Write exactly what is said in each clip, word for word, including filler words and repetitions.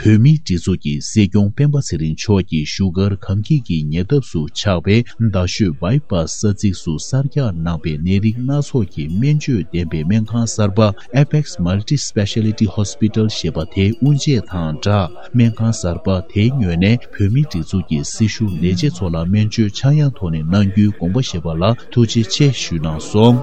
བོད་མིའི་སྒྲིག་འཛུགས་ཀྱི་སྲིད་སྐྱོང་སྤེན་པ་ཚེ་རིང་མཆོག་གིས་བཞུགས་སྒར་གངས་སྐྱིད་ཀྱི་ཉེ་འདབས་སུ་ཆགས་པའི་རྡ་ཤོད་བྷའི་པཱས་ས་ཚིགས་སུ་གསར་རྒྱག་གནང་པའི་ནད་རིགས་སྣ་ཚོགས་ཀྱི་སྨན་བཅོས་ལྡན་པའི་སྨན་ཁང་གསར་པ་Apex Multi Speciality Hospital ཞེས་པ་དེའི་དབུ་འབྱེད་དང་སྦྲགས། སྨན་ཁང་གསར་པ་དེའི་ངོས་ནས་བོད་མིའི་སྒྲིག་འཛུགས་ཀྱི་སྲི་ཞུ་ལས་བྱེད་ཚོ་ལ་སྨན་བཅོས་ཆག་ཡང་ཐོག་ནས་གནང་རྒྱུའི་དགོངས་པ་བཞེས་པ་ལ་ཐུགས་རྗེ་ཆེ་ཞུས་གནང་སོང་།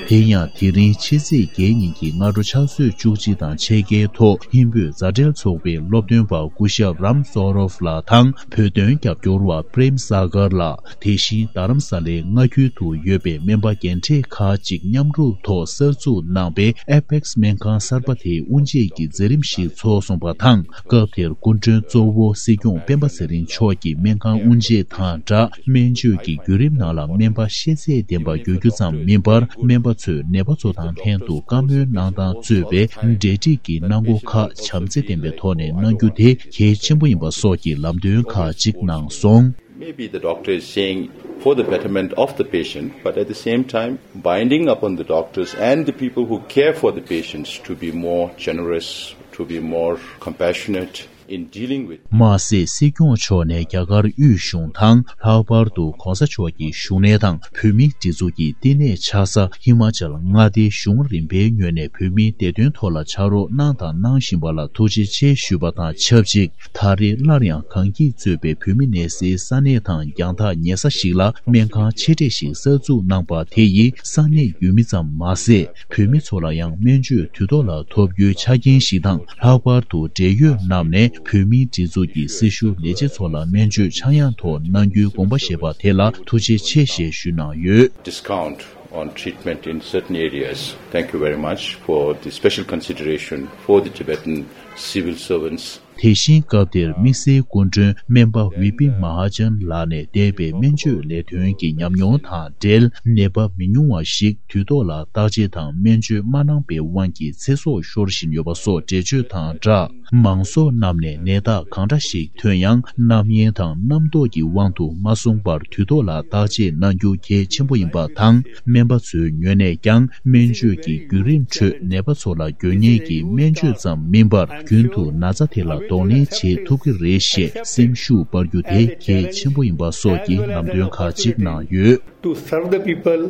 དེ་ཡང་དེ་རིང་ཕྱི་ཚེས་བརྒྱད་ཉིན་གྱི་སྔ་དྲོ་ཕྱག་ཚོད་བཅུ་གཅིག་དང་ཕྱེད་ཀའི་ཐོག་ཧིན་བོད་མཛའ་འབྲེལ་ཚོགས་པའི་སློབ་སྟོན་པ་སྐུ་ཞབས་རམ་སོ་རོབ་ལགས་དང་བོད་དོན་རྒྱབ་སྐྱོར་བ་པྲེམ་ས་གར་ལགས། དེ་བཞིན་རྡ་རམ་ས་ལའི་མངའ་ཁུལ་དུ་ཡོད་པའི་སྨན་པ་རྒན་གྲས་ཁག་ཅིག་མཉམ་རུབ་ཐོག་གསར་འཛུགས་གནང་པའི་ཨེ་པེག་སི་སྨན་ཁང་གསར་པ་དེའི་དབུ་འབྱེད་ཀྱི་མཛད་རིམ་ཞིག་ཚོགས་སོང་པ་དང་། སྐབས་དེར་སྐུ་མགྲོན་གཙོ་བོ་སྲིད་སྐྱོང་སྤེན་པ་ཚེ་རིང་མཆོག་གིས་སྨན་ཁང་དབུ་འབྱེད་དང་སྦྲགས། སྨན་བཅོས་ཀྱི་བརྒྱུད་རིམ་ནང་ལ་སྨན་པ་ཤེས་ཚད་ལྡན་པ་དགོས་རྒྱུ་ཙམ་མིན་པར། སྨན་པ་ཚོས་ནད་པ་ཚོ་དང་ལྷན་དུ་བཀའ་མོལ་གནང་སྟངས་གཙོས་པའི་འབྲེལ་འདྲིས་ཀྱི་གནང་སྒོ་ཁག་བྱམས་བརྩེ་ལྡན་པའི་ཐོག་ནས་གནང་རྒྱུ་དེ་གལ་ཆེན་པོ་ཡིན་པ་སོགས་ཀྱི་ལམ་སྟོན་ཁག་ཅིག་གནང་སོང་། Maybe the doctor is saying for the betterment of the patient, but at the same time, binding upon the doctors and the people who care for the patients to be more generous, to be more compassionate in dealing with. མ་ཟད། སྲིད་སྐྱོང་མཆོག་ནས་རྒྱ་གར་དབུས་གཞུང་དང་། ལྷག་པར་དུ་༧གོང་ས་མཆོག་གི་བཞུགས་གནས་དང་བོད་མིའི་སྒྲིག་འཛུགས་ཀྱི་བསྟི་གནས་ཆགས་ས་ཧི་མ་ཅལ་མངའ་སྡེའི་གཞུང་རིམ་པའི་ངོས་ནས་བོད་མིའི་བདེ་དོན་ཐོག་ལ་ཕྱག་རོགས་གནང་དང་གནང་བཞིན་པ་ལ་ཐུགས་རྗེ་ཆེ་ཞུས་པ་དང་ཆབས་ཅིག་ད་རེས་སླར་ཡང་གངས་སྐྱིད་གཙོས་པའི་བོད་མི་གནས་སའི་ས་གནས་དང་རྒྱང་ཐག་ཉེ་ས་ཞིག་ལ་སྨན་ཁང་ཆེ་གྲས་ཤིག་གསར་འཛུགས་གནང་པ་དེ་ཡིས་ས་གནས་ཡུལ་མི་ཙམ་མ་ཟད། བོད་མི་ཚོ་ལ་ཡང་སྨན་བཅོས་དུས་ཐོག་ལ་ཐོབ་རྒྱུའི་ཆ་རྐྱེན་ཞིག་དང་། ལྷག་པར་དུ་འབྲེལ་ཡོད་རྣམས་ནས་བོད་མིའི་སྒྲིག་འཛུགས་ཀྱི་སྲི་ཞུ་ལས་བྱེད་ཚོ་ལ་སྨན་བཅོས་ཆག་ཡང་ཐོག་གནང་རྒྱུའི་དགོངས་པ་བཞེས་པ་དེ་ལ་ཐུགས་རྗེ་ཆེ་ཞེས་ཞུས་གནང་ཡོད། Discount on treatment in certain areas. Thank you very much for the special consideration for the Tibetan civil servants. དེ་བཞིན་སྐབས་དེར་དམིགས་བསལ་སྐུ་མགྲོན་སྨན་པ་ཝི་པི་མ་ཧཱ་ཅན་ལགས་ནས་འདས་པའི་སྨན་བཅོས་ལས་དོན་གྱི་ཉམས་མྱོང་དང་འབྲེལ། ནད་པ་མི་ཉུང་བ་ཞིག་དུས་ཐོག་ལ་བརྟག་དཔྱད་དང་སྨན་བཅོས་མ་གནང་པའི་དབང་གིས་ཚེ་སྲོག་ཤོར་བཞིན་ཡོད་པ་སོགས་འགྲེལ་བརྗོད་དང་སྦྲགས། མང་ཚོགས་རྣམས་ནས་ནད་རྟགས་གང་འདྲ་ཞིག་ཐོན་ཡང་། རྣམ་གཡེང་དང་རྣམ་རྟོག་གི་དབང་དུ་མ་སོང་བར་དུས་ཐོག་ལ་བརྟག་དཔྱད་གནང་རྒྱུ་གལ་ཆེན་པོ་ཡིན་པ་དང་། སྨན་པ་ཚོའི་ངོས་ནས་ཀྱང་སྨན་བཅོས་ཀྱི་བརྒྱུད་རིམ་ཁྲོད་ནད་པ་ཚོ་ལ་དགོས་ངེས་ཀྱི་སྨན་བཅོས་ཙམ་མིན་པར། རྒྱུན་དུ་ན་ཚ་དེ་ལ་གདོང་ལེན་བྱེད་ཐུབ་ཀྱི་རེད་ཞེས་སེམས་ཤུགས་སྤར་རྒྱུ་དེ་གལ་ཆེན་པོ་ཡིན་པ་སོགས་ཀྱི་ལམ་སྟོན་ཁག་ཅིག་གནང་ཡོད། To serve the people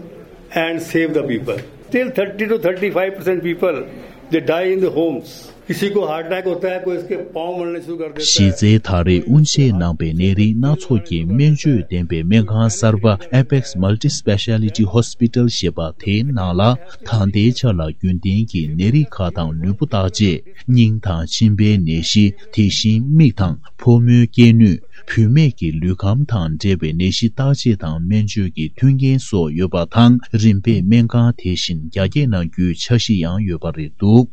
and save the people. Still thirty to thirty-five percent people, they die in the homes. किसी को heart attack होता है, कोई इसके पाँव मलने शुरू कर देता है। གཞི་རྩའི་ད་རེས་དབུ་འབྱེད་གནང་པའི་ནད་རིགས་སྣ་ཚོགས་ཀྱི་སྨན་བཅོས་ལྡན་པའི་སྨན་ཁང་གསར་པ་Apex Multi Speciality Hospital ཞེས་པ་དེའི་ནང་ལ། ད་ལྟའི་ཆ་ལ་རྒྱུན་ལྡན་གྱི་ནད་རིགས་ཁག་དང་ལུས་པོ་བརྟག་དཔྱད། སྙིང་དང་མཆིན་པའི་ནད་གཞི། དེ་བཞིན་མིག་དང་ཕོ་མོའི་སྐྱེ་ནུས། བུད་མེད་ཀྱི་ལུས་ཁམས་དང་འབྲེལ་བའི་ནད་གཞི་བརྟག་དཔྱད་དང་སྨན་བཅོས་ཀྱི་མཐུན་རྐྱེན་སོགས་ཡོད་པ་དང་། རིམ་པས་སྨན་ཁང་དེ་བཞིན་རྒྱ་སྐྱེད་གནང་རྒྱུའི་འཆར་གཞི་ཡང་ཡོད་པ་རེད་འདུག